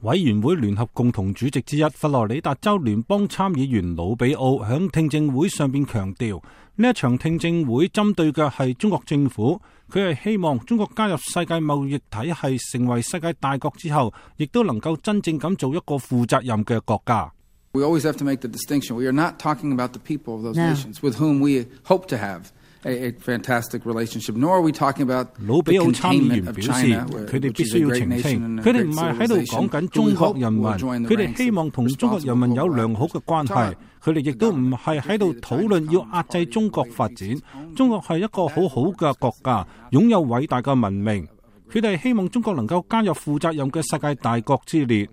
委員會聯合共同主席之一佛羅里達州聯邦參議員魯比奧響聽證會上邊強調，呢一場聽證會針對嘅係中國政府，佢係希望中國加入世界貿易體系，成為世界大國之後，亦都能夠真正咁做一個負責任嘅國家。We always have to make the distinction. We are not talking about the people of those nations with whom we hope to have a fantastic relationship, nor are we talking about the containment of China, which is a great nation and a great civilization. 佢哋唔係喺度講緊中國人民，佢哋希望同中國人民有良好嘅關係。佢哋亦都唔係喺度討論要壓制中國發展。中國係一個好好嘅國家，擁有偉大嘅文明。佢哋希望中國能夠加入負責任嘅世界大國之列。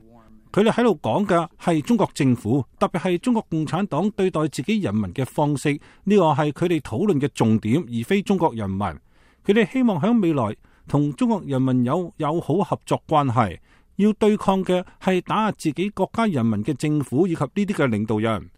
佢哋喺度講嘅係中國政府，特別係中國共產黨對待自己人民嘅方式，呢個係佢哋討論嘅重點，而非中國人民。佢哋希望喺未來同中國人民有友好合作關係，要對抗嘅係打壓自己國家人民嘅政府以及呢啲嘅領導人。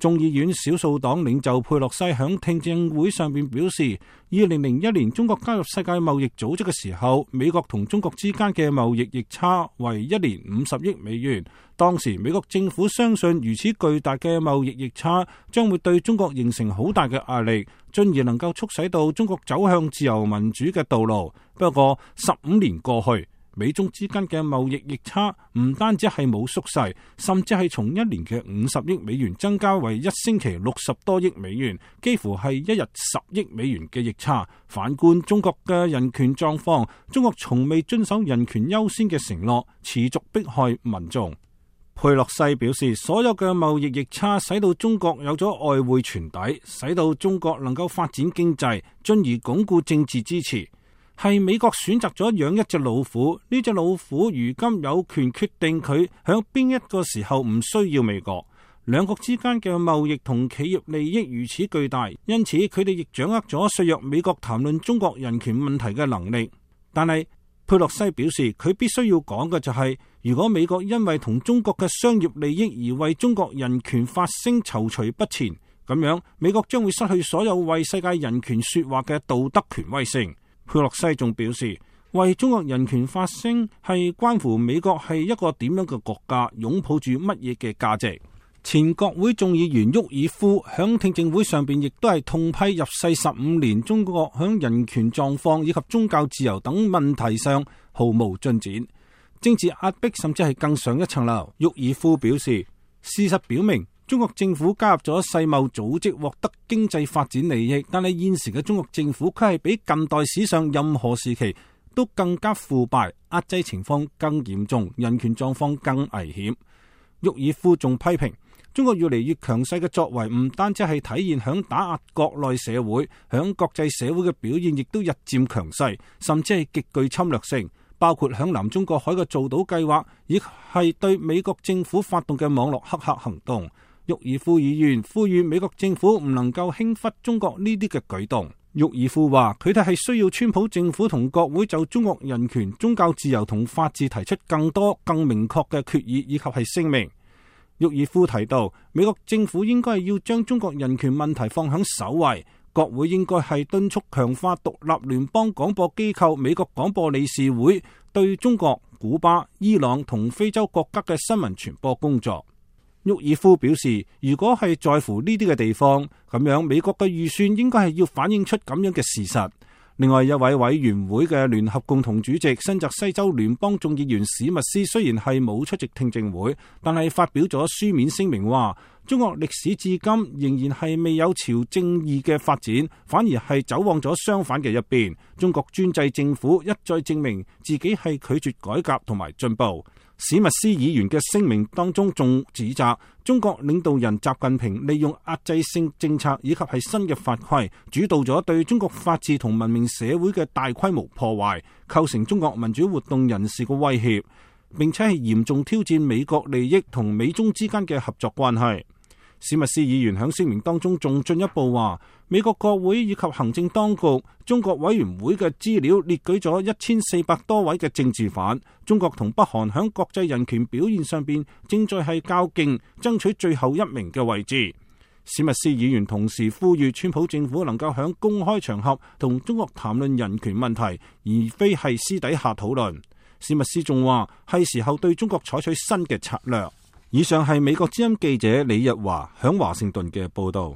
眾議院少數黨領袖佩洛西響聽證會上邊表示，2001年中國加入世界貿易組織嘅時候，美國同中國之間嘅貿易逆差為一年50億美元。當時美國政府相信如此巨大嘅貿易逆差將會對中國形成好大嘅壓力，進而能夠促使到中國走向自由民主嘅道路。不過15年過去，美中之間嘅貿易逆差唔單止係冇縮細，甚至係從一年嘅50億美元增加為一星期60多億美元，幾乎係一日10億美元嘅逆差。反觀中國嘅人權狀況，中國從未遵守人權優先嘅承諾，持續迫害民眾。佩洛西表示，所有嘅貿易逆差使到中國有咗外匯存底，使到中國能夠發展經濟，進而鞏固政治支持。係美國選擇咗養一隻老虎，呢隻老虎如今有權決定佢響邊一個時候唔需要美國。兩國之間嘅貿易同企業利益如此巨大，因此佢哋亦掌握咗削弱美國談論中國人權問題嘅能力。但係佩洛西表示，佢必須要講嘅就係，如果美國因為同中國嘅商業利益而為中國人權發聲躊躇不前，咁樣美國將會失去所有為世界人權說話嘅道德權威性。佩洛西仲表示，為中國人權發聲係關乎美國係一個點樣嘅國家，擁抱住乜嘢嘅價值。前國會眾議員沃爾夫響聽證會上邊亦都係痛批入世15年中國響人權狀況以及宗教自由等問題上毫無進展，政治壓迫甚至係更上一層樓。沃爾夫表示，事實表明中國政府加入咗世貿組織獲得經濟發展利益，但係現時嘅中國政府佢係比近代史上任何時期都更加腐敗，壓制情況更嚴重，人權狀況更危險。沃爾夫仲批評中國越嚟越強勢嘅作為唔單止係體現響打壓國內社會，響國際社會嘅表現亦都日漸強勢，甚至係極具侵略性，包括響南中國海嘅造島計劃，亦係對美國政府發動嘅網絡黑客行動。沃爾夫議員呼籲美國政府唔能夠輕忽中國呢啲嘅舉動。沃爾夫話，佢哋係需要川普政府同國會就中國人權、宗教自由同法治提出更多、更明確嘅決議以及係聲明。沃爾夫提到，美國政府應該係要將中國人權問題放響首位，國會應該係敦促強化獨立聯邦廣播機構美國廣播理事會對中國、古巴、伊朗同非洲國家嘅新聞傳播工作。沃爾夫表示，如果係在乎呢啲嘅地方，咁樣美國嘅預算應該係要反映出咁樣嘅事實。另外一位委員會嘅聯合共同主席新澤西州聯邦眾議員史密斯雖然係冇出席聽證會，但係發表咗書面聲明話，中國歷史至今仍然係未有朝正義嘅發展，反而係走往咗相反嘅一邊。中國專制政府一再證明自己係拒絕改革同埋進步。史密斯議員嘅聲明當中仲指責中國領導人習近平利用壓制性政策以及係新嘅法規，主導咗對中國法治同文明社會嘅大規模破壞，構成中國民主活動人士嘅威脅，並且係嚴重挑戰美國利益同美中之間嘅合作關係。史密斯議員喺聲明當中仲進一步話，美國國會以及行政當局、中國委員會嘅資料列舉咗1400多位嘅政治犯。中國同北韓喺國際人權表現上邊正在係較勁，爭取最後一名嘅位置。史密斯議員同時呼籲川普政府能夠喺公開場合同中國談論人權問題，而非係私底下討論。史密斯仲話係時候對中國採取新嘅策略。以上係美國之音記者李日華響華盛頓嘅報道。